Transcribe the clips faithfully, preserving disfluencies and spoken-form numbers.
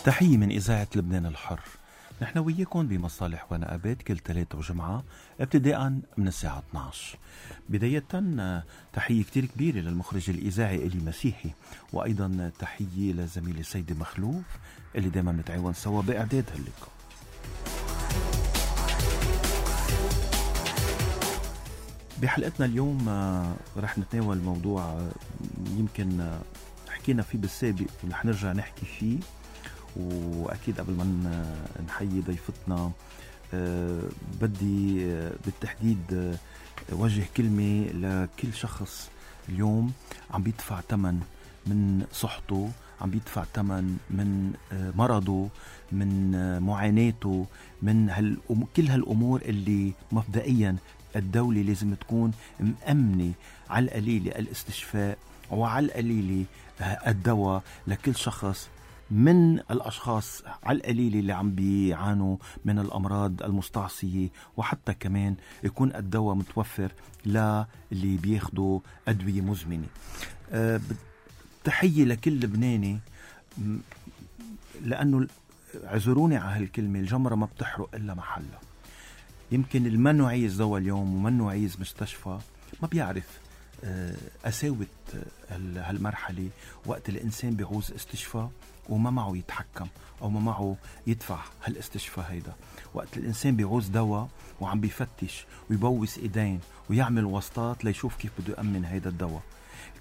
تحية من إذاعة لبنان الحر. نحن وياكم بمصالح ونقابات كل ثلاث وجمعة ابتداء من الساعة اثني عشر. بداية تحية كتير كبيرة للمخرج الإذاعي إلي مسيحي، وأيضا تحية لزميلي سيدي مخلوف اللي دايما نتعاون سوا بإعداد هاللقاء. بحلقتنا اليوم رح نتناول موضوع يمكن حكينا فيه بالسابق ورح نرجع نحكي فيه، وأكيد قبل ما نحيي ضيفتنا أه بدي بالتحديد أه وجه كلمة لكل شخص اليوم عم بيدفع ثمن من صحته، عم بيدفع ثمن من أه مرضه، من أه معاناته، من هال كل هالأمور اللي مبدئيا الدولة لازم تكون مأمنة على القليلة الاستشفاء وعلى القليلة الدواء لكل شخص من الأشخاص على القليل اللي عم بيعانوا من الأمراض المستعصية، وحتى كمان يكون الدواء متوفر للي بياخدوا أدوية مزمنة. أه تحية لكل لبناني، لأنه عذروني على هالكلمة، الجمرة ما بتحرق إلا محلها. يمكن المنو عايز دواء اليوم ومنو عايز مستشفى ما بيعرف قساوة هالمرحلة وقت الإنسان بيعوز استشفاء وما معه يتحكم أو ما معه يدفع هالاستشفاء هيدا. وقت الإنسان بيعوز دواء وعم بيفتش ويبوس إيدين ويعمل وسطات ليشوف كيف بده يأمن هيدا الدواء.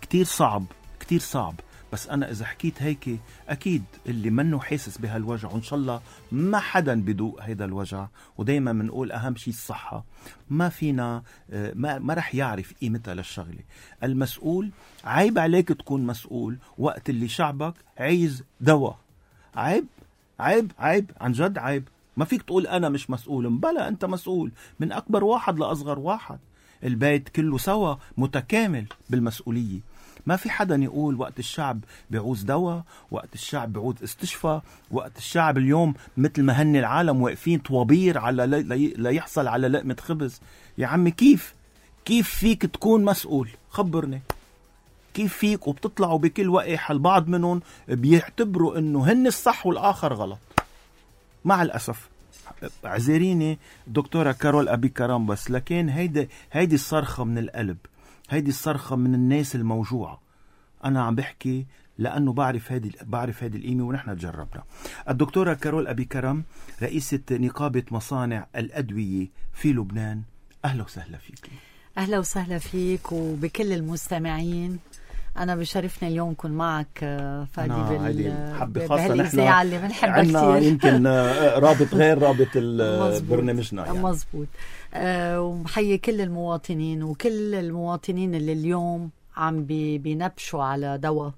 كتير صعب كتير صعب. بس أنا إذا حكيت هيك أكيد اللي منه حاسس بهالوجع، وإن شاء الله ما حدا بدوق هيدا الوجع، ودايما منقول أهم شيء الصحة، ما فينا ما, ما رح يعرف قيمتها للشغلة. المسؤول عيب عليك تكون مسؤول وقت اللي شعبك عايز دواء. عيب عيب عيب عن جد عيب. ما فيك تقول أنا مش مسؤول. بلا أنت مسؤول، من أكبر واحد لأصغر واحد. البيت كله سوا متكامل بالمسؤولية. ما في حدا يقول وقت الشعب بيعوز دواء، وقت الشعب بيعوز استشفاء، وقت الشعب اليوم مثل ما هن العالم واقفين طوابير على لا يحصل على لقمة خبز. يا عمي كيف كيف فيك تكون مسؤول؟ خبرني كيف فيك وبتطلعوا بكل وقح البعض منهم بيعتبروا انه هن الصح والآخر غلط. مع الأسف عزيريني دكتورة كارول أبي كرام، بس لكن هيدي هيدي الصرخة من القلب، هيدي الصرخة من الناس الموجوعة. أنا عم بحكي لأنه بعرف هيدي بعرف هيدي القيمة ونحن تجربنا. الدكتورة كارول أبي كرم رئيسة نقابة مصانع الأدوية في لبنان، أهلا وسهلا فيك. أهلا وسهلا فيك وبكل المستمعين. أنا بشرفني اليوم كن معك فادي بال... بهالإذاعة اللي بنحبها كتير. يمكن رابط غير رابط برنامجنا يعني. مزبوط. أه ومحيي كل المواطنين وكل المواطنين اللي اليوم عم بي... بينبشوا على دواء.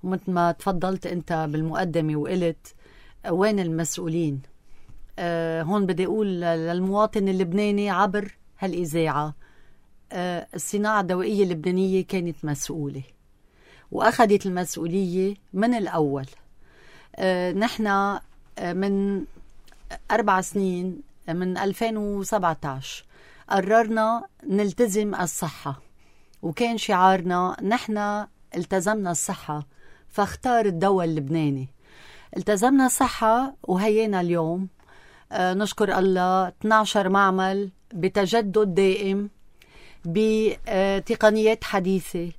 ومثل ما تفضلت أنت بالمقدمة وقلت وين المسؤولين. أه هون بدي أقول للمواطن اللبناني عبر هالإذاعة، أه الصناعة الدوائية اللبنانية كانت مسؤولة وأخذت المسؤولية من الأول. أه نحن أه من أربع سنين من ألفين وسبعة عشر قررنا نلتزم الصحة، وكان شعارنا نحن التزمنا الصحة فاختار الدواء اللبناني. التزمنا الصحة وهينا اليوم أه نشكر الله اثني عشر معمل بتجدد دائم بتقنيات حديثة،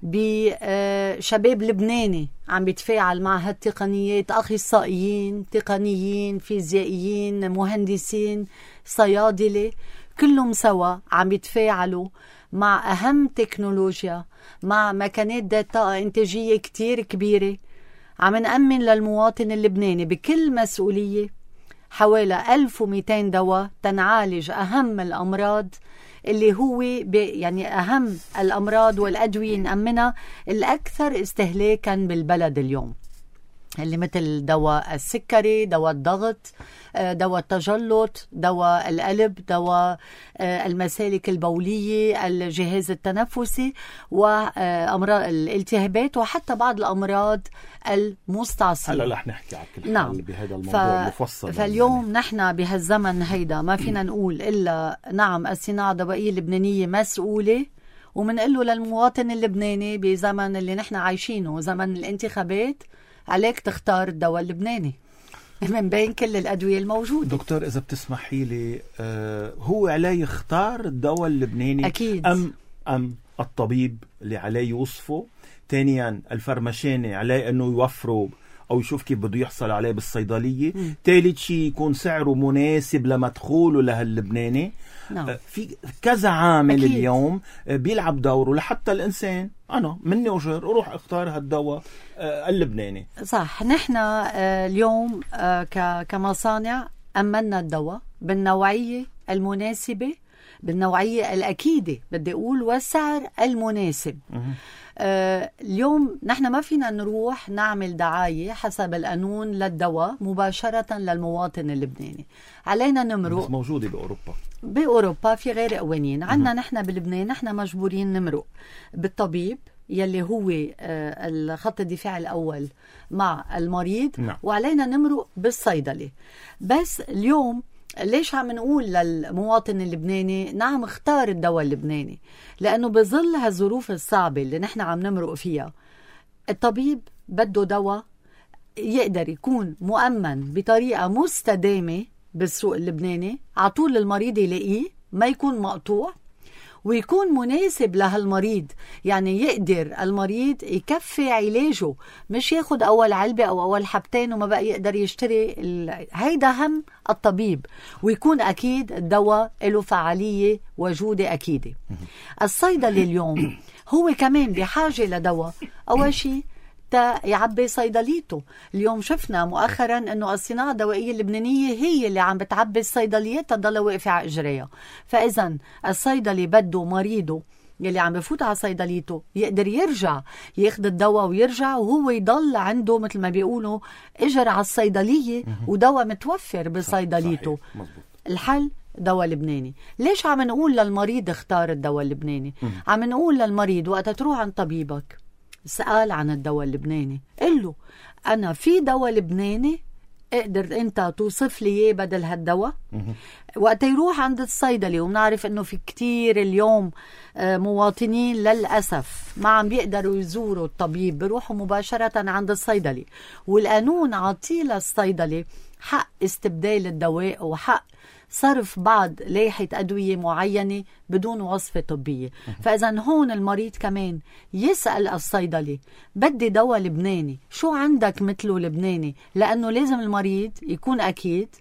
بشباب لبناني عم بيتفاعل مع هالتقنيات، أخصائيين تقنيين فيزيائيين مهندسين صيادلة، كلهم سوا عم بيتفاعلوا مع أهم تكنولوجيا، مع مكانات ذات طاقة إنتاجية كتير كبيرة. عم نأمن للمواطن اللبناني بكل مسؤولية حوالي ألف ومئتين دواء تنعالج أهم الأمراض اللي هو يعني أهم الأمراض والأدوية نأمنها الأكثر استهلاكا بالبلد اليوم، اللي مثل دواء السكري، دواء الضغط، دواء التجلط، دواء القلب، دواء المسالك البولية، الجهاز التنفسي، وأمراض الالتهابات، وحتى بعض الأمراض المستعصية. هلا رح نحكي على كل نعم. حال بهذا الموضوع ف... مفصل. فاليوم يعني. نحن بهالزمن هيدا ما فينا نقول إلا نعم الصناعة الدوائية اللبنانية مسؤولة، ومنقله للمواطن اللبناني بزمن اللي نحن عايشينه، زمن الانتخابات، عليك تختار الدواء اللبناني. من بين كل الأدوية الموجودة. دكتور إذا بتسمحي لي، آه هو عليه يختار الدواء اللبناني أكيد. أم أم الطبيب اللي عليه يوصفه؟ ثانيا الفرمشاني عليه أنه يوفره أو يشوف كيف بده يحصل عليه بالصيدلية. ثالث شيء يكون سعره مناسب لمدخوله لهاللبناني. نعم. في كذا عامل أكيد. اليوم بيلعب دوره لحتى الإنسان أنا مني أجر أروح أختار هالدواء اللبناني. صح. نحن اليوم كمصانع أمنا الدواء بالنوعية المناسبة، بالنوعية الأكيدة بدي أقول، والسعر المناسب. آه اليوم نحن ما فينا نروح نعمل دعاية حسب القانون للدواء مباشرة للمواطن اللبناني. علينا نمرق. بس موجودة بأوروبا. بأوروبا في غير قوانين. عنا نحن بلبنان نحن مجبورين نمرق بالطبيب يلي هو آه الخط الدفاع الأول مع المريض. نعم. وعلينا نمرق بالصيدلة. بس اليوم ليش عم نقول للمواطن اللبناني نعم اختار الدواء اللبناني؟ لأنه بظل هالظروف الصعبة اللي نحن عم نمرق فيها، الطبيب بده دواء يقدر يكون مؤمن بطريقة مستدامة بالسوق اللبناني، عطول المريض يلاقيه، ما يكون مقطوع، ويكون مناسب لهالمريض. يعني يقدر المريض يكفي علاجه، مش ياخد أول علبة أو أول حبتين وما بقى يقدر يشتري ال... هيدا هم الطبيب. ويكون أكيد الدواء له فعالية وجودة أكيدة. الصيدلي اليوم هو كمان بحاجة لدواء. أول شيء تا يعبي صيدليته. اليوم شفنا مؤخرا انه الصناعة الدوائية اللبنانية هي اللي عم بتعبي الصيدليات تضل واقفة على اجريها. فاذا الصيدلي بده مريضه يلي عم بفوت على صيدليته يقدر يرجع ياخد الدواء ويرجع وهو يضل عنده مثل ما بيقولوا اجر على الصيدلية ودواء متوفر بصيدليته. الحل دواء لبناني. ليش عم نقول للمريض اختار الدواء اللبناني؟ عم نقول للمريض وقت تروح عند طبيبك سأل عن الدواء اللبناني، قل له أنا في دواء لبناني اقدر أنت توصف لي إيه بدل هالدواء؟ وقت يروح عند الصيدلي، ومنعرف أنه في كتير اليوم مواطنين للأسف ما عم بيقدروا يزوروا الطبيب، بيروحوا مباشرة عند الصيدلي، والقانون عطيه للصيدلي حق استبدال الدواء وحق صرف بعض لائحة أدوية معينة بدون وصفة طبية. فإذا هون المريض كمان يسأل الصيدلي بدي دواء لبناني، شو عندك مثله لبناني؟ لأنه لازم المريض يكون أكيد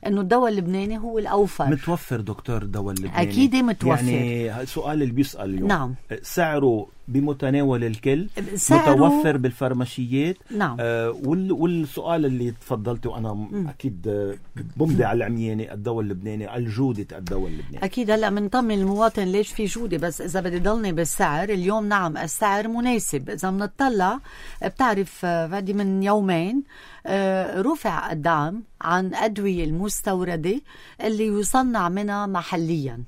انه الدواء اللبناني هو الاوفر. متوفر دكتور الدواء اللبناني؟ اكيد متوفر. يعني السؤال اللي بيسأل اليوم، نعم، سعره بمتناول الكل، سعره متوفر بالفارماشيات؟ نعم. آه وال والسؤال اللي تفضلته انا م. اكيد بمضي على العمياني، الدواء اللبناني، الجودة الدواء اللبناني اكيد. هلا بنطمن المواطن ليش في جودة، بس اذا بدي ضلني بالسعر اليوم نعم السعر مناسب. اذا بنطلع بتعرف بعد من يومين رفع الدعم عن أدوية المستوردة اللي يصنع منها محليا،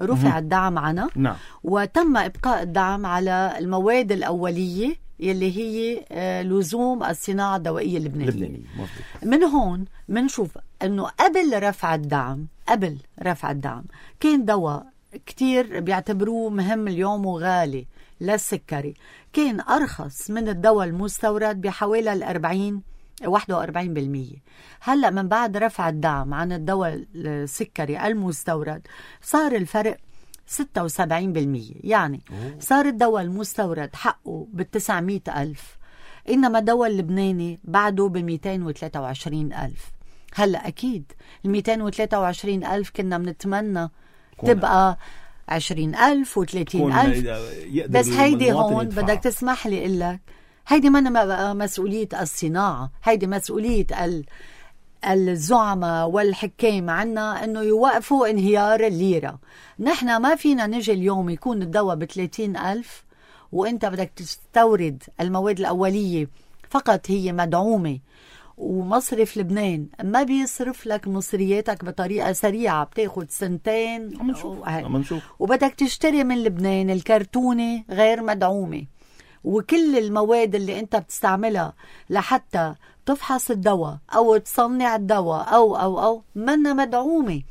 رفع الدعم عنها. نعم. وتم إبقاء الدعم على المواد الأولية يلي هي لزوم الصناعة الدوائية اللبنانية. من هون منشوف أنه قبل رفع الدعم قبل رفع الدعم كان دواء كتير بيعتبروه مهم اليوم وغالي للسكري، كان أرخص من الدواء المستورد بحوالي الأربعين واحد وأربعين بالمية. هلأ من بعد رفع الدعم عن الدواء السكري المستورد صار الفرق ستة وسبعين بالمية. يعني صار الدواء المستورد حقه بالتسعمائة ألف، إنما الدواء اللبناني بعده بمئتين وثلاثة وعشرين ألف. هلأ أكيد المئتين وثلاثة وعشرين ألف كنا منتمنى تبقى عشرين ألف وثلاثين ألف، بس هيدي هون بدك تسمح لي إلك هيدي ما مسؤولية الصناعة، هيدي مسؤولية الزعماء والحكام عنا انه يوقفوا انهيار الليرة. نحن ما فينا نجي اليوم يكون الدواء بثلاثين ألف وانت بدك تستورد المواد الأولية فقط هي مدعومة، ومصرف لبنان ما بيصرف لك مصرياتك بطريقة سريعة، بتاخد سنتين ومنشوف. وبدك تشتري من لبنان الكرتونة غير مدعومة، وكل المواد اللي انت بتستعملها لحتى تفحص الدواء او تصنع الدواء او او او منا مدعومة.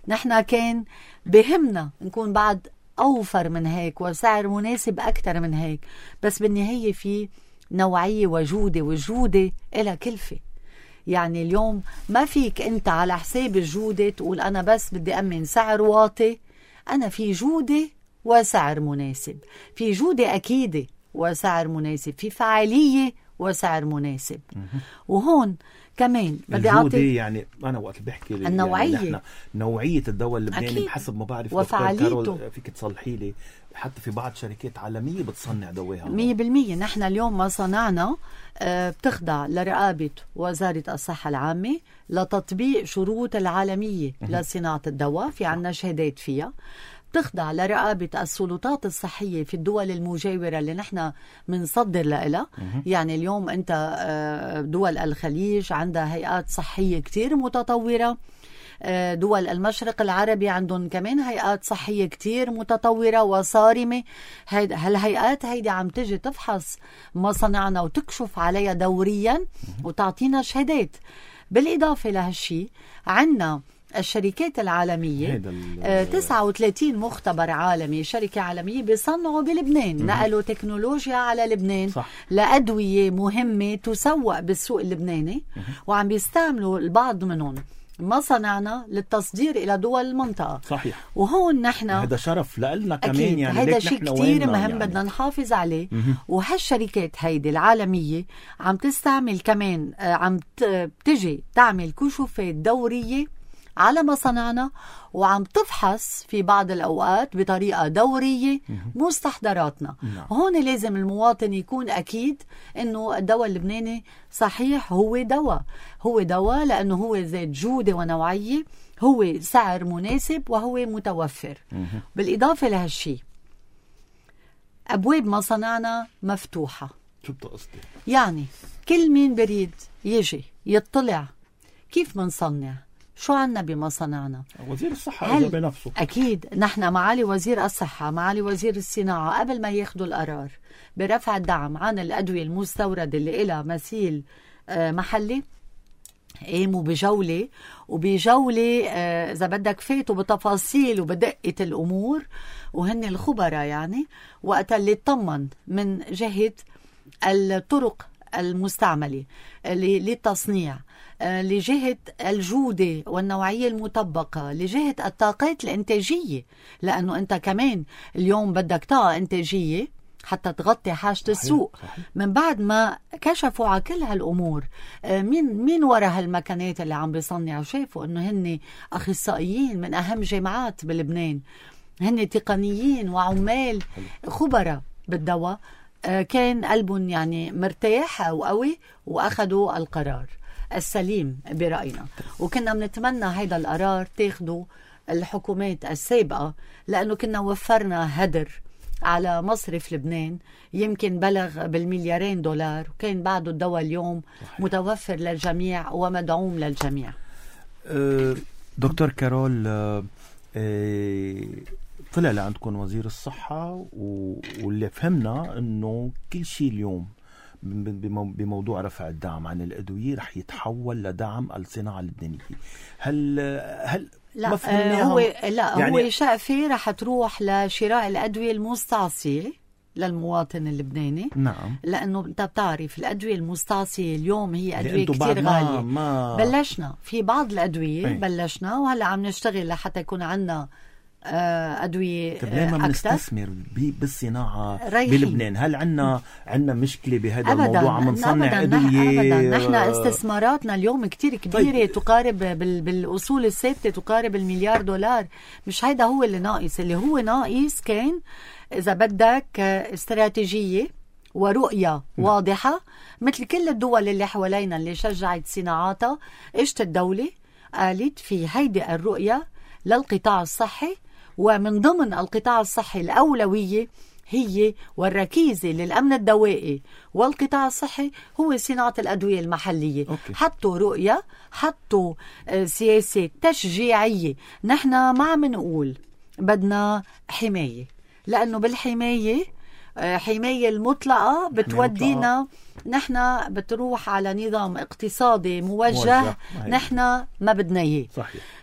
نحن كان بهمنا نكون بعد اوفر من هيك وسعر مناسب اكتر من هيك، بس بالنهاية في نوعية وجودة، والجودة إلها كلفة. يعني اليوم ما فيك أنت على حساب الجودة تقول أنا بس بدي أمن سعر واطي. أنا في جودة وسعر مناسب، في جودة أكيدة وسعر مناسب، في فعالية وسعر مناسب. وهون كمان بدي أعطي يعني أنا وقت بحكي النوعية يعني نحن نوعية الدواء اللبناني بحسب ما بعرف وفعاليته. فيك تصلحي لي حتى في بعض شركات عالمية بتصنع دواها مية بالمية. نحن اليوم مصانعنا بتخضع لرقابة وزارة الصحة العامة لتطبيق شروط العالمية لصناعة الدواء، في عنا شهادات فيها، تخضع لرقابة السلطات الصحية في الدول المجاورة اللي نحن منصدر لها. يعني اليوم أنت دول الخليج عندها هيئات صحية كتير متطورة، دول المشرق العربي عندهم كمان هيئات صحية كتير متطورة وصارمة. هالهيئات هيدي عم تجي تفحص مصانعنا وتكشف عليها دوريا وتعطينا شهادات. بالإضافة لهالشي عنا الشركات العالمية، تسعة وثلاثين مختبر عالمي، شركة عالمية بيصنعوا بلبنان، نقلوا تكنولوجيا على لبنان صح. لأدوية مهمة تسوق بالسوق اللبناني، وعم بيستعملوا البعض منهم مصانعنا للتصدير إلى دول المنطقة. صحيح. وهون نحن هذا شرف لنا كمان، يعني هذا شيء كتير مهم يعني. بدنا نحافظ عليه. وهالشركات هيدي العالمية عم تستعمل كمان، عم تجي تعمل كشوفات دورية على مصانعنا، وعم تفحص في بعض الأوقات بطريقة دورية مستحضراتنا. هون لازم المواطن يكون أكيد إنه الدواء اللبناني صحيح هو دواء، هو دواء لأنه هو ذات جودة ونوعية، هو سعر مناسب، وهو متوفر. بالإضافة لهالشي أبواب مصانعنا مفتوحة. شو بتقصدي؟ يعني كل مين بريد يجي يطلع كيف منصنع، شو عنا بمصانعنا. وزير الصحة إذا بنفسه أكيد نحن معالي وزير الصحة، معالي وزير الصناعة، قبل ما ياخدوا القرار برفع الدعم عن الأدوية المستوردة اللي إلها مثيل محلي، قاموا بجولة، وبجولة إذا بدك فاتوا بتفاصيل وبدقة الأمور، وهن الخبراء يعني، وقت اللي اطمن من جهة الطرق المستعملة للتصنيع، لجهة الجودة والنوعية المطبقة، لجهة الطاقات الإنتاجية، لأنه أنت كمان اليوم بدك طاقة إنتاجية حتى تغطي حاجة السوق. صحيح. من بعد ما كشفوا على كل هالأمور، مين مين وراء هالمكانات اللي عم بيصنعوا، شافوا أنه هن أخصائيين من أهم جامعات بلبنان، هن تقنيين وعمال خبراء بالدواء، كان قلبهم يعني مرتاح وقوي، وأخذوا القرار السليم برأينا. وكنا بنتمنى هيدا القرار تاخدوا الحكومات السابقة، لأنه كنا وفرنا هدر على مصرف لبنان يمكن بلغ بالمليارين دولار، وكان بعده الدواء اليوم صحيح. متوفر للجميع ومدعوم للجميع. أه دكتور كارول، أه طلع لعندكم وزير الصحة، واللي فهمنا أنه كل شيء اليوم بموضوع رفع الدعم عن الأدوية رح يتحول لدعم الصناعة اللبنانية. هل هل لا آه هو لا يعني هو شقفة رح تروح لشراء الأدوية المستعصية للمواطن اللبناني. نعم. لأنه أنت بتعرف الأدوية المستعصية اليوم هي أدوية كتير غالية. ما بلشنا في بعض الأدوية. أي. بلشنا وهلأ عم نشتغل لحتى يكون عنا أدوية أكثر. لما بنستثمر بالصناعة بلبنان، هل عنا عنا مشكلة بهذا الموضوع؟ عم نصنع أدوية. أبدا نحن استثماراتنا اليوم كتير كبيرة. طيب. تقارب بالأصول الثابتة تقارب المليار دولار. مش هيدا هو اللي ناقص، اللي هو ناقص كان إذا بدك استراتيجية ورؤية واضحة، مثل كل الدول اللي حوالينا اللي شجعت صناعاتها. اجت الدولة قالت في هيدي الرؤية للقطاع الصحي، ومن ضمن القطاع الصحي الأولوية هي والركيزة للأمن الدوائي والقطاع الصحي هو صناعة الأدوية المحلية. أوكي. حطوا رؤية، حطوا سياسة تشجيعية. نحن ما عم نقول بدنا حماية، لأنه بالحماية حماية المطلقة بتودينا نحن بتروح على نظام اقتصادي موجه, موجه. نحن ما بدنا اياه.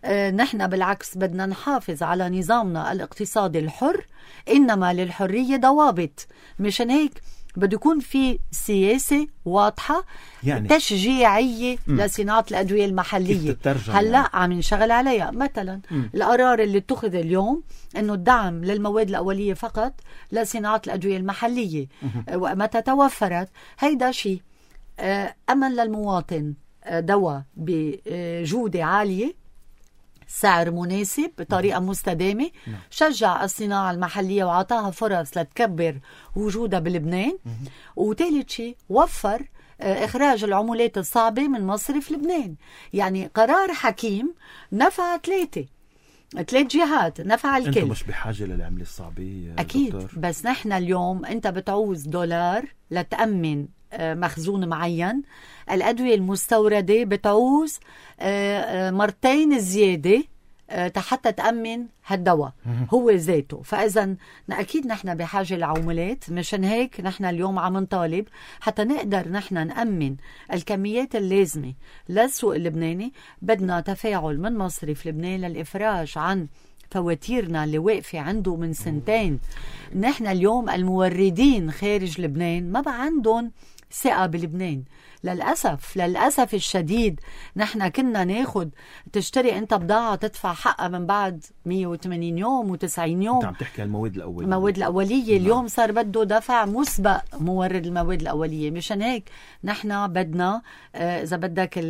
اه نحن بالعكس بدنا نحافظ على نظامنا الاقتصادي الحر، إنما للحرية ضوابط. مشان هيك بده يكون في سياسة واضحة يعني تشجيعية م. لصناعة الأدوية المحلية. هلأ يعني. عم ينشغل عليها. مثلا م. القرار اللي اتخذ اليوم أنه الدعم للمواد الأولية فقط لصناعة الأدوية المحلية ومتى توفرت هيدا شيء أمن للمواطن دواء بجودة عالية، سعر مناسب، بطريقة مستدامة، شجع الصناعة المحلية وعطاها فرص لتكبر وجودها بلبنان. وثالث شيء وفر إخراج العملات الصعبة من مصرف لبنان. يعني قرار حكيم نفع ثلاثة ثلاث جهات، نفع الكل. انتم مش بحاجة للعملة الصعبة أكيد دكتور. بس نحن اليوم أنت بتعوز دولار لتأمن مخزون معين. الأدوية المستوردة بتعوز مرتين زيادة حتى تأمن هالدواء هو ذاته. فإذا أكيد نحن بحاجة لعملات. مشان هيك نحن اليوم عم نطالب حتى نقدر نحن نأمن الكميات اللازمة للسوق اللبناني. بدنا تفاعل من مصرف لبنان للإفراج عن فواتيرنا اللي واقفة عنده من سنتين. نحن اليوم الموردين خارج لبنان ما بقى عندهم ثقة بلبنان للأسف. للأسف الشديد نحن كنا ناخد تشتري أنت بضاعة تدفع حقها من بعد مية وثمانين يوم وتسعين يوم. أنت عم تحكي عن المواد الأولية. المواد الأولية اليوم صار بده دفع مسبق مورد المواد الأولية. مشان هيك نحن بدنا إذا بدك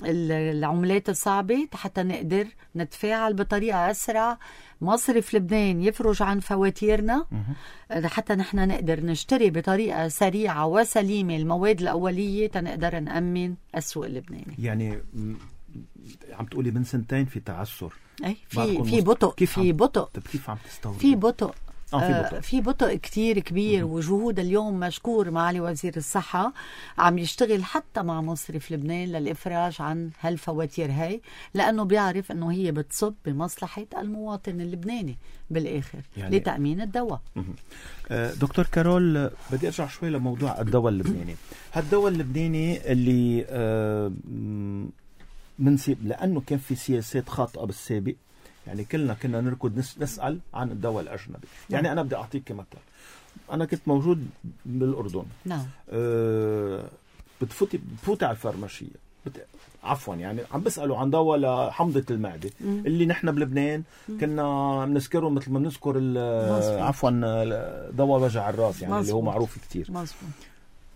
العملات الصعبة حتى نقدر نتفاعل بطريقة أسرع. مصرف لبنان يفرج عن فواتيرنا حتى نحن نقدر نشتري بطريقة سريعة وسليمة المواد الأولية تنقدر نأمن السوق اللبناني. يعني عم تقولي من سنتين في تعثر. أي في في بطء. كيف في بطء. كيف عم تستورد؟ في بطء. آه في بطء. آه في بطء كتير كبير. وجهود اليوم مشكور معالي وزير الصحة عم يشتغل حتى مع مصرف لبنان للإفراج عن هالفواتير هاي، لأنه بيعرف أنه هي بتصب بمصلحة المواطن اللبناني بالآخر يعني لتأمين الدواء. آه دكتور كارول، بدي أرجع شوي لموضوع الدواء اللبناني. هالدواء اللبناني اللي آه منسيب لأنه كان في سياسات خاطئة بالسابق. يعني كلنا كنا نركض نسأل عن الدواء الأجنبي. يعني أنا بدي أعطيك مثل. أنا كنت موجود بالأردن. نعم. أه بتفوتي بفوتي على الفارماشية بت... عفوا يعني عم بسألوا عن دواء لحمضة المعدة مم. اللي نحن بلبنان مم. كنا بنذكره مثل ما بنذكر عفوا دواء وجع الراس يعني مزبوط. اللي هو معروف كتير. مزبوط.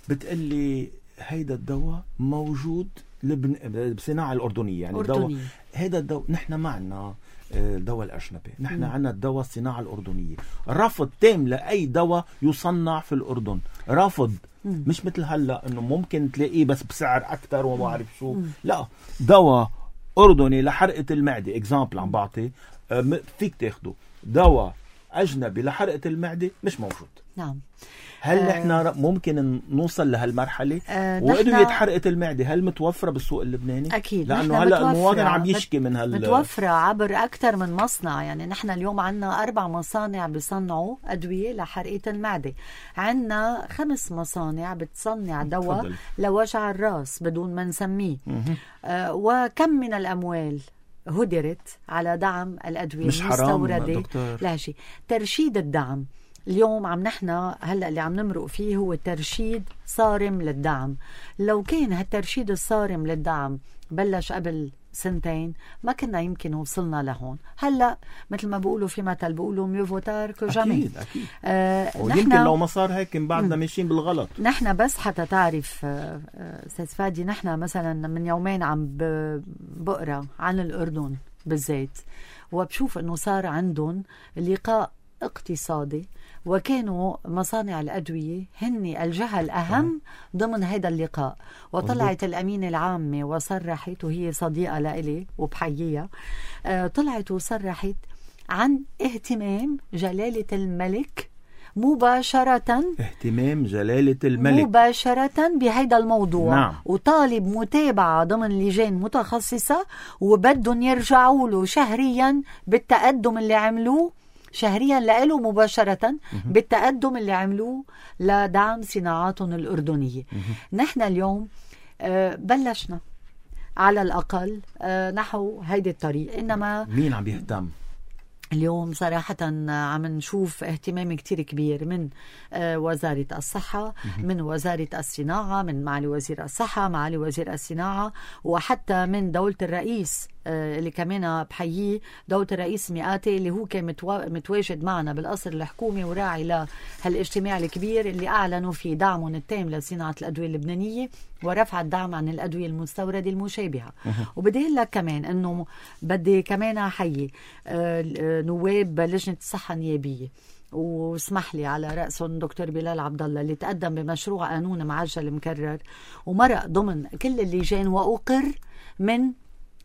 بتقلي هيدا الدواء موجود لبن... بصناعة الأردنية يعني الدواء هيدا الدواء. نحن معنا الدواء الأجنبي، نحن عنا الدواء الصناعة الأردنية. رفض تام لأي دواء يصنع في الأردن، رفض. مم. مش مثل هلا انه ممكن تلاقيه بس بسعر اكثر وما بعرف شو. مم. لا، دواء اردني لحرقه المعده اكزامبل عم بعطي فيك تاخده. دواء اجنبي لحرقه المعده مش موجود. نعم. هل آه نحن ممكن نوصل لهالمرحله؟ آه وادويه حرقه المعده هل متوفره بالسوق اللبناني؟ اكيد، لانه هلا المواطن عم يشكي من هال متوفره عبر اكثر من مصنع. يعني نحن اليوم عندنا اربع مصانع بيصنعوا ادويه لحرقه المعده، عندنا خمس مصانع بتصنع دواء لوجع الراس بدون ما نسميه. آه وكم من الاموال هدرت على دعم الادويه مش المستورده. لا شيء. ترشيد الدعم اليوم عم نحن هلأ اللي عم نمرق فيه هو ترشيد صارم للدعم. لو كان هالترشيد الصارم للدعم بلش قبل سنتين ما كنا يمكن وصلنا لهون. هلأ مثل ما بيقولوا في مثل بيقولوا ميو فوتار كو جامي. أكيد أكيد. آه ويمكن لو ما صار هيك بعدنا ماشيين بالغلط. نحن بس حتى تعرف أستاذ فادي، نحن مثلا من يومين عم بقرأ عن الأردن بالذات وبشوف أنه صار عندهم لقاء اقتصادي وكانوا مصانع الأدوية هن الجهة الأهم ضمن هذا اللقاء. وطلعت الأمينة العامة وصرحت، وهي صديقة لإلي وبحييها، آه طلعت وصرحت عن اهتمام جلالة الملك مباشرة اهتمام جلالة الملك مباشرة بهيدا الموضوع. نعم. وطالب متابعة ضمن لجان متخصصة وبدهم يرجعوا له شهريا بالتقدم اللي عملوه شهريا لإله مباشرة بالتقدم اللي عملوه لدعم صناعاتهم الأردنية. نحن اليوم آه بلشنا على الأقل آه نحو هيدا الطريق. إنما مين عم يهتم؟ اليوم صراحة عم نشوف اهتمام كتير كبير من وزارة الصحة، من وزارة الصناعة، من معالي وزير الصحة، معالي وزير الصناعة، وحتى من دولة الرئيس اللي كمان بحييه، دولة الرئيس مئاتي اللي هو كان متواجد معنا بالقصر الحكومي وراعي لهالاجتماع الكبير اللي أعلنوا فيه دعمهم التام لصناعة الأدوية اللبنانية ورفع الدعم عن الأدوية المستوردة المشابهة. وبدي أقول لك كمان أنه بدي كمان أحيي نواب لجنة الصحة النيابية، واسمح لي على رأسهم دكتور بلال عبد الله اللي تقدم بمشروع قانون معجل مكرر ومرق ضمن كل اللجان وأقر من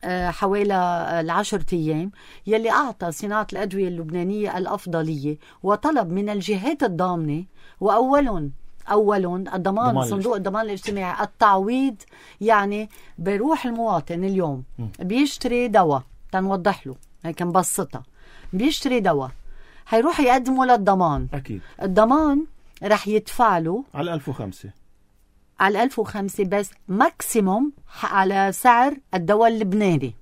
حوالي العشرة أيام، يلي أعطى صناعة الأدوية اللبنانية الأفضلية وطلب من الجهات الضامنة، وأولهم أولهم الضمان، صندوق الضمان الاجتماعي، التعويض. يعني بيروح المواطن اليوم بيشتري دواء، تنوضح له هيك نبسطها، بيشتري دواء هيروح يقدمه للضمان. أكيد الضمان رح يدفع له على ألف وخمسة على ألف وخمسة بس ماكسيموم على سعر الدواء اللبناني.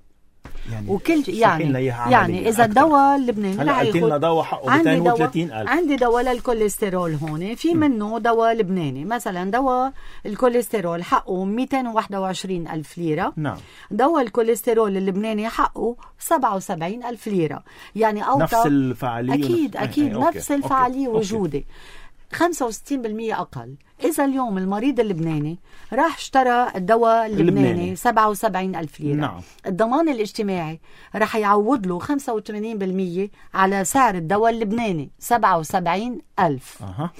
يعني وكل يعني يعني اذا الدواء اللبناني رح ياخذ لنا دواء حقه مئتين وثلاثين ألف. عندي دواء للكوليسترول هون في منه دواء لبناني، مثلا دواء الكوليسترول حقه مئتين وواحد وعشرين ألف ليرة. نعم. دواء الكوليسترول اللبناني حقه سبعة وسبعين ألف ليرة، يعني أوطى نفس الفعالية. أكيد ونفس... أكيد أوكي. نفس الفعالية أوكي. وجودة خمسة وستين بالمئة أقل. إذا اليوم المريض اللبناني راح اشترى الدواء اللبناني, اللبناني. سبعة وسبعين ألف ليرة. نعم. الضمان الاجتماعي راح يعوض له خمسة وثمانين بالمئة على سعر الدواء اللبناني سبعة وسبعين ألف. أه.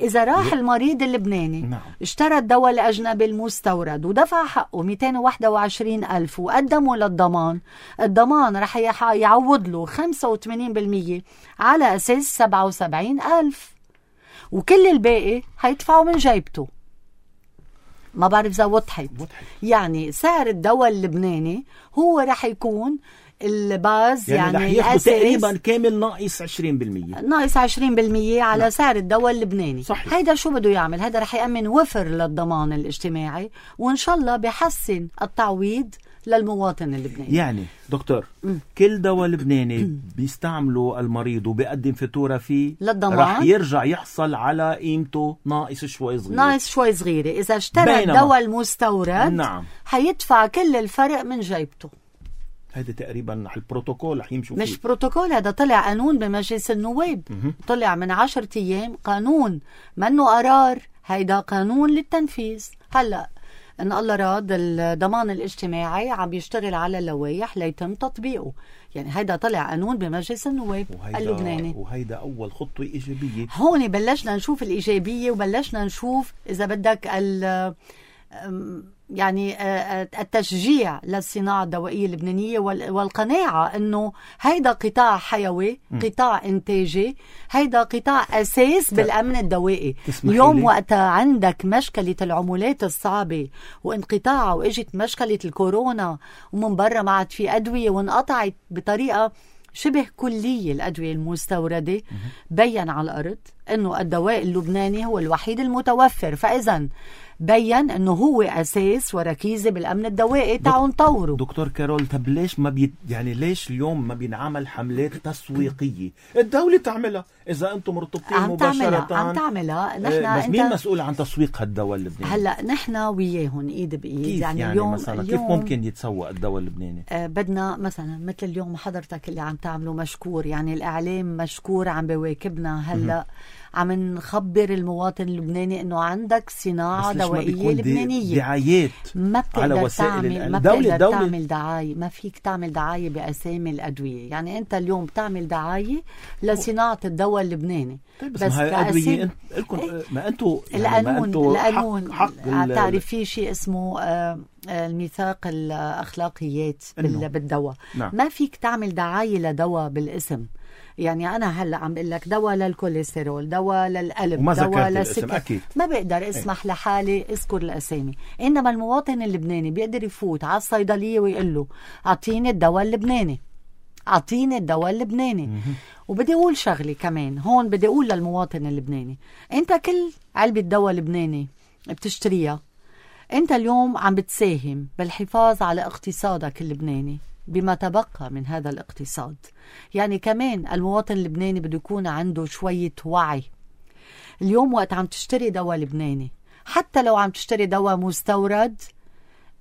إذا راح المريض اللبناني نعم. اشترى الدواء الأجنبي المستورد ودفع حقه مئتين وواحد وعشرين ألف وقدمه للضمان، الضمان رح يعوض له خمسة وثمانين بالمئة على أساس سبعة وسبعين ألف، وكل الباقي هيدفعوا من جيبته. ما بعرف إذا وضحت. يعني سعر الدواء اللبناني هو رح يكون الباز، يعني, يعني رح ياخذ تقريبا كامل ناقص عشرين بالمئة ناقص عشرين بالمئة على لا. سعر الدواء اللبناني. صحيح. هيدا شو بده يعمل؟ هيدا رح يأمن وفر للضمان الاجتماعي، وإن شاء الله بيحسن التعويض للمواطن اللبناني. يعني دكتور م. كل دواء لبناني بيستعمله المريض وبيقدم فاتورة فيه للضمان رح يرجع يحصل على قيمته ناقص شوي صغير. ناقص شوي صغيرة. إذا اشترى الدواء المستورد نعم. حيدفع كل الفرق من جيبته. هذا تقريبا البروتوكول رح يمشوا مش فيه. بروتوكول، هذا طلع قانون بمجلس النواب. م- طلع من عشرة أيام قانون، منه قرار، هيدا قانون للتنفيذ. هلأ إن الله راد الضمان الاجتماعي عم بيشتغل على اللوائح ليتم تطبيقه. يعني هيدا طلع قانون بمجلس النواب اللبناني، وهيدا أول خطوة إيجابية. هون بلشنا نشوف الإيجابية، وبلشنا نشوف إذا بدك ال يعني التشجيع للصناعة الدوائية اللبنانية والقناعة أنه هيدا قطاع حيوي، قطاع إنتاجي، هيدا قطاع أساس بالأمن الدوائي. اليوم وقت عندك مشكلة العمولات الصعبة وانقطاع واجت مشكلة الكورونا ومن برا ما عاد في أدوية وانقطعت بطريقة شبه كلية الأدوية المستوردة، بيّن على الأرض أنه الدواء اللبناني هو الوحيد المتوفر. فإذا بيّن أنه هو أساس وركيزة بالأمن الدوائي. تعالوا نطوره. دكتور كارول، طب ليش ما بي يعني ليش اليوم ما بينعمل حملات تسويقية؟ الدولة تعملها إذا أنتم مرتبطين عم مباشرة. تعملها عم تعملها نحن. بس مين مسؤول عن تسويق هالدواء اللبناني؟ هلا نحن وياهم إيد بإيد. كيف يعني, يعني اليوم مثلا اليوم كيف ممكن يتسوق الدواء اللبناني؟ آه بدنا مثلا مثل اليوم حضرتك اللي عم تعمله مشكور، يعني الإعلام مشكور عم بواكبنا. هلا عم نخبر المواطن اللبناني انه عندك صناعه دوائيه لبنانيه. دعايات ما بتقدر تعمل ما بتقدر تعمل دعايه، ما فيك تعمل دعايه باسامي الادويه. يعني انت اليوم بتعمل دعايه لصناعه الدواء اللبناني. طيب بس, بس الادويه لكم إيه؟ ما انتم يعني القانون القانون تعرف في شيء اسمه آه الميثاق الاخلاقيات بالدواء. نعم. ما فيك تعمل دعايه لدواء بالاسم. يعني أنا هلأ عم بقول لك دواء للكوليسترول، دواء للقلب، دواء للسكر، ما بقدر اسمح ايه؟ لحالي اذكر الأسامي. إنما المواطن اللبناني بيقدر يفوت على الصيدلية ويقول له أعطيني الدواء اللبناني، أعطيني الدواء اللبناني. وبدي أقول شغلي كمان هون، بدي أقول للمواطن اللبناني، أنت كل علبة دواء لبناني بتشتريها أنت اليوم عم بتساهم بالحفاظ على اقتصادك اللبناني، بما تبقى من هذا الاقتصاد. يعني كمان المواطن اللبناني بده يكون عنده شوية وعي. اليوم وقت عم تشتري دواء لبناني، حتى لو عم تشتري دواء مستورد،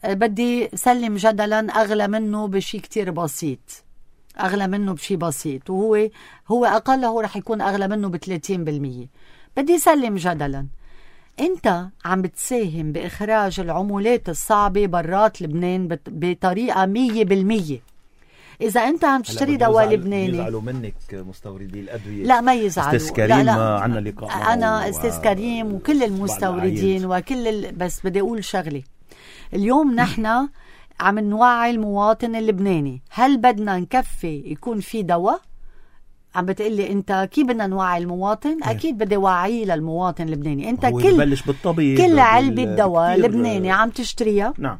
بدي سلم جدلا أغلى منه بشي كتير بسيط، أغلى منه بشي بسيط، وهو هو أقله رح يكون أغلى منه بثلاثين بالمية. بدي سلم جدلا أنت عم بتساهم بإخراج العمولات الصعبة برات لبنان بطريقة مية بالمية. إذا أنت عم تشتري دواء لبناني، يزعلوا منك مستوردي الأدوية. لا ما يزعلوا. أستاذ كريم لا لا. عنا لقاء أنا أستاذ كريم وكل المستوردين وكل ال... بس بدي أقول شغلي. اليوم نحن عم نوعي المواطن اللبناني. هل بدنا نكفي يكون في دواء؟ عم بتقلي انت كيف بدنا نوعي المواطن؟ اكيد بدي وعيه للمواطن اللبناني. انت كل بالطبيب كل علبة دواء لبناني عم تشتريها، نعم،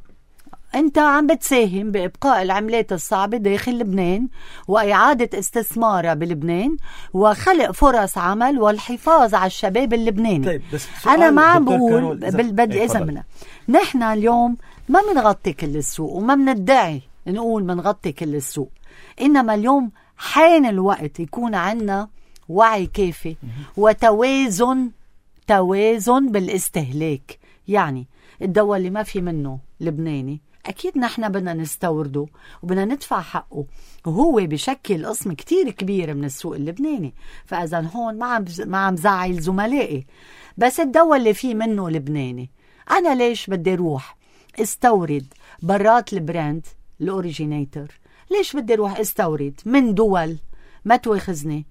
انت عم بتساهم بإبقاء العملات الصعبة داخل لبنان وإعادة استثمارها بلبنان وخلق فرص عمل والحفاظ على الشباب اللبناني. طيب بس أنا ما عم بقول بدي إذا منا نحن اليوم ما منغطي كل السوق وما مندعي نقول منغطي كل السوق، إنما اليوم حان الوقت يكون عنا وعي كافي وتوازن توازن بالاستهلاك. يعني الدواء اللي ما في منه لبناني أكيد نحن بدنا نستورده وبدنا ندفع حقه، وهو بشكل قسم كتير كبير من السوق اللبناني. فإذا هون ما عم ما عم زعل زملائي، بس الدواء اللي فيه منه لبناني أنا ليش بدي روح استورد برات البراند الأوريجينيتور؟ ليش بدي روح استورد من دول ما تواخذني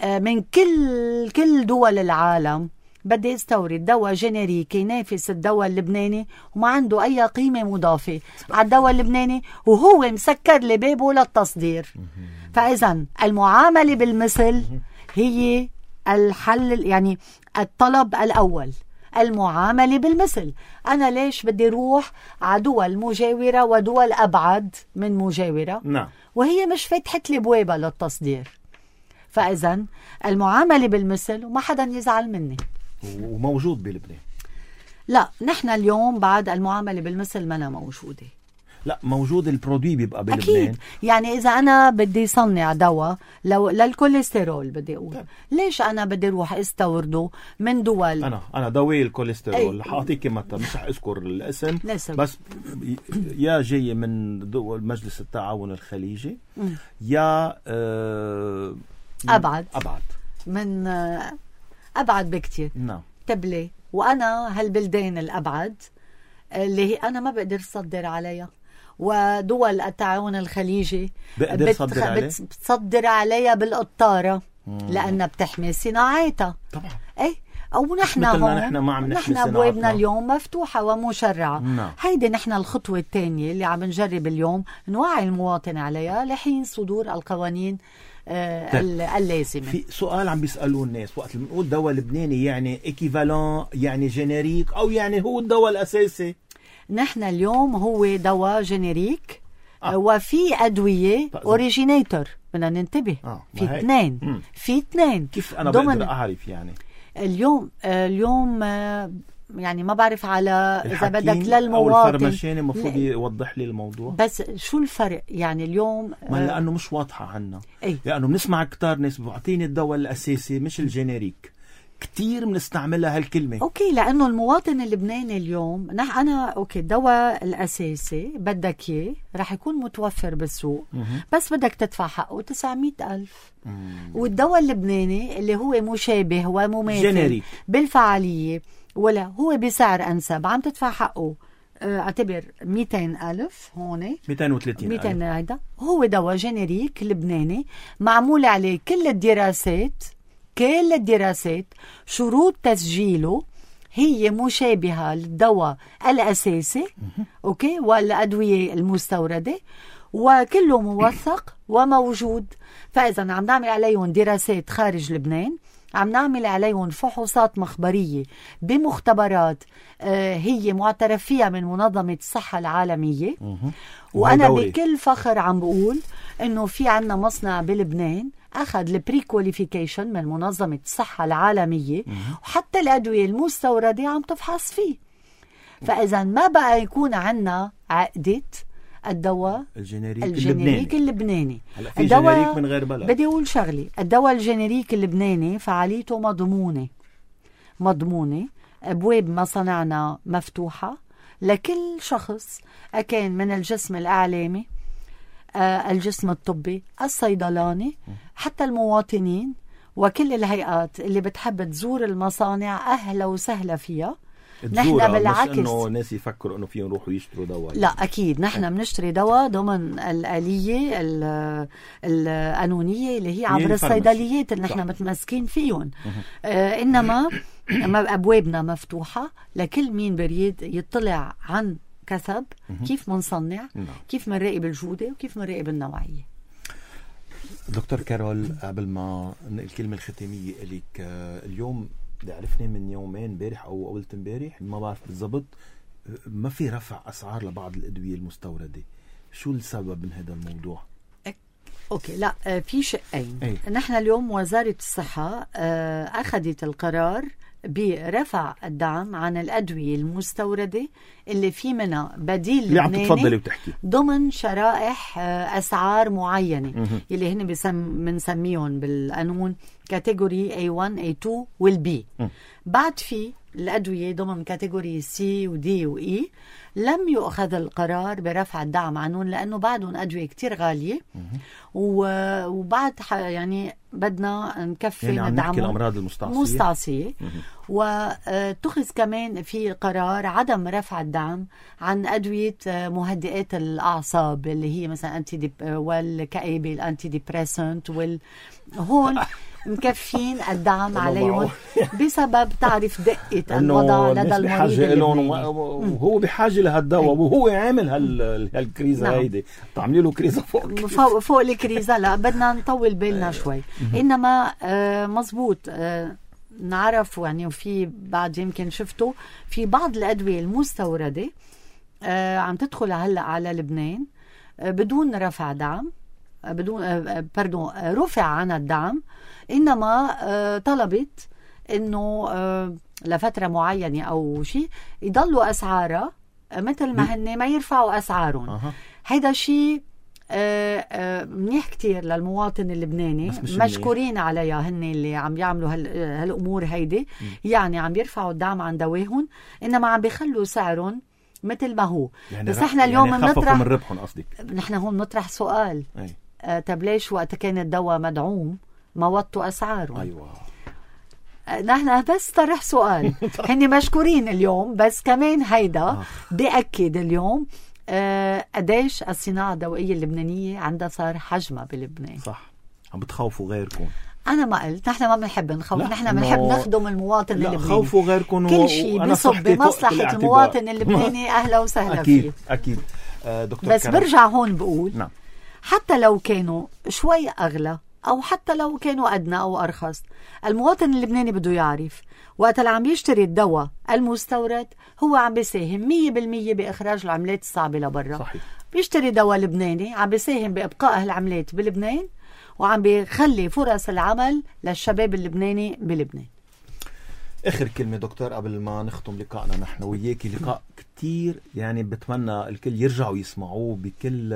من كل كل دول العالم؟ بدي استورد دواء جينيريكي ينافس الدواء اللبناني وما عنده اي قيمه مضافه على الدواء اللبناني وهو مسكر لي بابه للتصدير. فاذا المعامله بالمثل هي الحل، يعني الطلب الاول المعامله بالمثل. انا ليش بدي روح على دول مجاوره ودول ابعد من مجاوره نعم. وهي مش فتحت لي بوابه للتصدير؟ فاذا المعامله بالمثل وما حدا يزعل مني. وموجود بلبنان؟ لا، نحن اليوم بعد المعاملة بالمثل منا موجودة. لا موجود، البرودوي بيبقى بلبنان أكيد. يعني إذا أنا بدي صنع دواء لو للكوليسترول بدي أقول طيب. ليش أنا بدي روح استورده من دول؟ أنا أنا دواء الكوليسترول حاعطيك مثلا، مش أذكر الاسم نسب. بس يا جاي من دول مجلس التعاون الخليجي م. يا آه أبعد أبعد من آه أبعد بكتير. نعم. تبلي وأنا هالبلدين الأبعد اللي هي أنا ما بقدر صدر عليها، ودول التعاون الخليجي بقدر بتخ... صدر عليها بتصدر عليها بالقطارة لأنها بتحمي صناعاتها. طبعا. إيه أو نحن هون نحن ما عم نحمي نحن أبوابنا اليوم مفتوحة ومشرعة. نعم. هيدي نحن الخطوة الثانية اللي عم نجرب اليوم نوعي المواطن عليها لحين صدور القوانين آه اللازمة. في سؤال عم بيسألوه الناس وقت اللي بنقول دواء لبناني يعني ايكيفالون، يعني جينيريك، أو يعني هو الدواء الأساسي؟ نحن اليوم هو دواء جينيريك آه. وفي أدوية أوريجينيتور، بدنا ننتبه آه. في اثنين في اثنين كيف أنا بقدر أعرف يعني اليوم آه اليوم آه يعني ما بعرف على إذا بدك للمواطن أو الفرماشين المفروض يوضح لي الموضوع. بس شو الفرق يعني اليوم؟ ما لأنه مش واضحة عنا. أي. لأنه بنسمع كتار ناس بعطيني الدواء الأساسي مش الجينيريك، كتير بنستعملها هالكلمة. أوكي، لأنه المواطن اللبناني اليوم نح أنا أوكي الدواء الأساسي بدك إياه رح يكون متوفر بالسوق م- بس بدك تدفع حقه تسعمية ألف. م- والدواء اللبناني اللي هو مشابه ومماثل جينيريك بالفعالية ولا هو بسعر أنسب عم تدفع حقه اعتبر مئتين ألف هون مئتين وثلاثين ألف. هيدا هو دواء جينيريك لبناني معمول عليه كل الدراسات كل الدراسات شروط تسجيله هي مشابهة للدواء الأساسي أوكي والأدوية المستوردة وكله موثق وموجود. فإذا عم نعمل عليهم دراسات خارج لبنان، عم نعمل عليهم فحوصات مخبرية بمختبرات آه هي معترف فيها من منظمة الصحة العالمية. وأنا بكل فخر عم بقول إنه في عنا مصنع بلبنان أخذ البري كواليفيكيشن من منظمة الصحة العالمية وحتى الأدوية المستوردة عم تفحص فيه. فإذا ما بقى يكون عنا عقدة الدواء الجينيريك, الجينيريك اللبناني. هلا في جينيريك من غير بلد. بدي أقول شغلي، الدواء الجينيريك اللبناني فعاليته مضمونة مضمونة أبواب مصانعنا مفتوحة لكل شخص أكان من الجسم الإعلامي، آه الجسم الطبي، الصيدلاني، حتى المواطنين وكل الهيئات اللي بتحب تزور المصانع أهلا وسهلا فيها. نحن بالعكس مش انه ناس يفكروا انه فيهم يروحوا يشتروا دواء. لا اكيد نحن بنشتري دواء ضمن الآلية القانونية اللي هي عبر الصيدليات اللي نحن متمسكين فيهم. آه انما ابوابنا مفتوحة لكل مين بريد يطلع عن كسب كيف منصنع، كيف منراقب الجودة وكيف منراقب النوعية. دكتور كارول، قبل ما الكلمة الختامية إليك، اليوم اللي عرفناه من يومين امبارح او قبل امبارح ما بعرف بالضبط، ما في رفع اسعار لبعض الادويه المستورده. شو السبب من هذا الموضوع؟ اوكي، لا في شقين. أي. نحن اليوم وزاره الصحه اخذت القرار برفع الدعم عن الادويه المستورده اللي في منها بديل اللي عم تتفضلي وتحكي ضمن شرائح اسعار معينه اللي هن بنسميهم بالقانون كاتيجوري إيه واحد إيه اثنين والبي. بعد في الادويه ضمن كاتيجوري سي ودي واي لم يؤخذ القرار برفع الدعم عنهم لانه بعدهم ادويه كتير غاليه وبعد يعني بدنا نكفي يعني ندعمهم الامراض المستعصيه مستعصيه. واتخذ كمان في قرار عدم رفع الدعم عن ادويه مهدئات الاعصاب اللي هي مثلا انتي دي والكآبه الانتي ديبريسنت وال هون مكفين الدعم عليهم بسبب تعرف دقة الوضع لدى المريض وهو بحاجة لهالدواء وهو عامل هالكريزة. نعم. هيدي تعملي له كريزة فوق فوق, فوق الكريزة. لا بدنا نطول بالنا شوي. إنما آه مزبوط آه نعرف يعني، وفي بعد يمكن شفتوا في بعض الأدوية المستوردة آه عم تدخل هلأ على لبنان آه بدون رفع دعم، بدون آه بردون آه رفع عن الدعم، إنما آه طلبت إنه آه لفترة معينة أو شيء يضلوا أسعارها مثل ما هن ما يرفعوا أسعارهم. أه. هيدا شيء آه آه منيح كتير للمواطن اللبناني، مشكورين منيح عليها هن اللي عم يعملوا هالأمور هيدي. م. يعني عم يرفعوا الدعم عن دواهم إنما عم بيخلوا سعرهم مثل ما هو. يعني بس احنا اليوم يعني بنطرح من ربحهم قصدك. نحن هون نطرح سؤال، آه طب ليش وقت كان الدواء مدعوم ما وطوا أسعاره؟ أيوة. نحن بس طرح سؤال. هني مشكورين اليوم، بس كمان هيدا آه. بأكد اليوم آه قديش الصناعة الدوائية اللبنانية عندها صار حجمها بلبنان. صح. عم بتخوفوا غيركم. أنا ما قلت نحن ما بنحب نخوف، نحن بنحب نخدم المواطن اللبناني. خوفوا غيركم كل شيء بيصب بمصلحة المواطن اللبناني أهلا وسهلا أكيد فيه. أكيد آه دكتور بس كرم. برجع هون بقول نعم. حتى لو كانوا شوي أغلى أو حتى لو كانوا أدنى أو أرخص، المواطن اللبناني بده يعرف وقت اللي عم يشتري الدواء المستورد هو عم بيساهم مية بالمية بإخراج العملات الصعبة لبرا. صحيح. بيشتري دواء لبناني عم بيساهم بإبقاء العملات بلبنان وعم بيخلي فرص العمل للشباب اللبناني بلبنان. آخر كلمة دكتور قبل ما نختم لقائنا نحن وياكي، لقاء كتير يعني بتمنى الكل يرجعوا يسمعوه بكل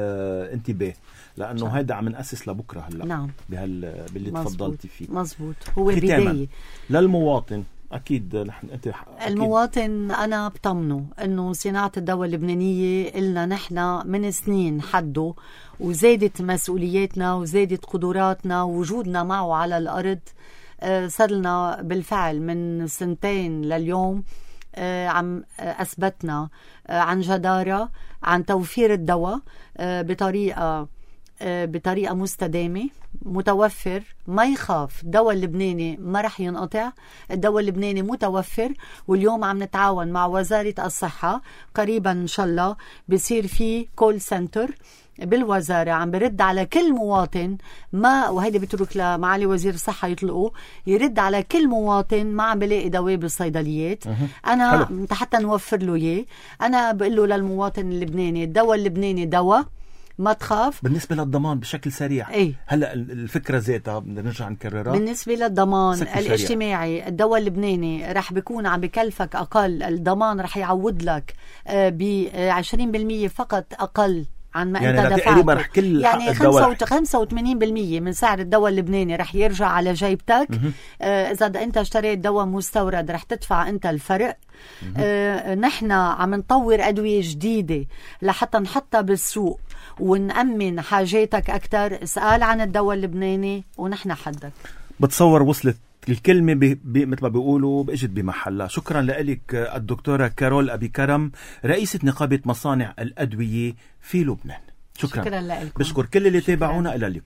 انتباه لأنه صح. هيدا عم نأسس لبكرة هلأ. نعم. بهال باللي تفضلتي فيه. مزبوط. هو بداية للمواطن أكيد. نحن أنت أكيد. المواطن أنا بطمنه إنه صناعة الدواء اللبنانية إلنا نحن من سنين حده، وزادت مسؤولياتنا وزادت قدراتنا ووجودنا معه على الأرض. آه صار لنا بالفعل من سنتين لليوم آه عم آه أثبتنا آه عن جدارة عن توفير الدواء آه بطريقة آه بطريقة مستدامة متوفر. ما يخاف، الدواء اللبناني ما رح ينقطع، الدواء اللبناني متوفر. واليوم عم نتعاون مع وزارة الصحة، قريبا إن شاء الله بيصير في كول سنتر بالوزارة عم برد على كل مواطن ما، وهيدي بترك لمعالي وزير الصحة يطلقوا، يرد على كل مواطن ما عم بلاقي دواء بالصيدليات. أنا حلو. حتى نوفر له إياه. أنا بقول له للمواطن اللبناني الدواء اللبناني دواء، ما تخاف. بالنسبة للضمان بشكل سريع، ايه؟ هلا الفكرة ذاتها بدنا نرجع نكررها. بالنسبة للضمان الاجتماعي الدواء اللبناني رح بيكون عم بكلفك أقل، الضمان رح يعود لك ب عشرين بالمية فقط أقل عن ما يعني انت تقريبا دفعته. كل يعني الدواء خمسة وثمانين بالمية من سعر الدواء اللبناني رح يرجع على جيبتك. آه اذا انت اشتريت دواء مستورد رح تدفع انت الفرق. آه نحن عم نطور ادويه جديده لحتى نحطها بالسوق ونأمن حاجاتك اكثر. اسال عن الدواء اللبناني ونحن حدك. بتصور وصلت الكلمة ب... ب... مثل ما بيقولوا بإجت بمحلها. شكرا لك الدكتورة كارول أبي كرم، رئيسة نقابة مصانع الأدوية في لبنان. شكرا, شكرا لكم. بشكر كل اللي تابعونا. إلى اللقاء.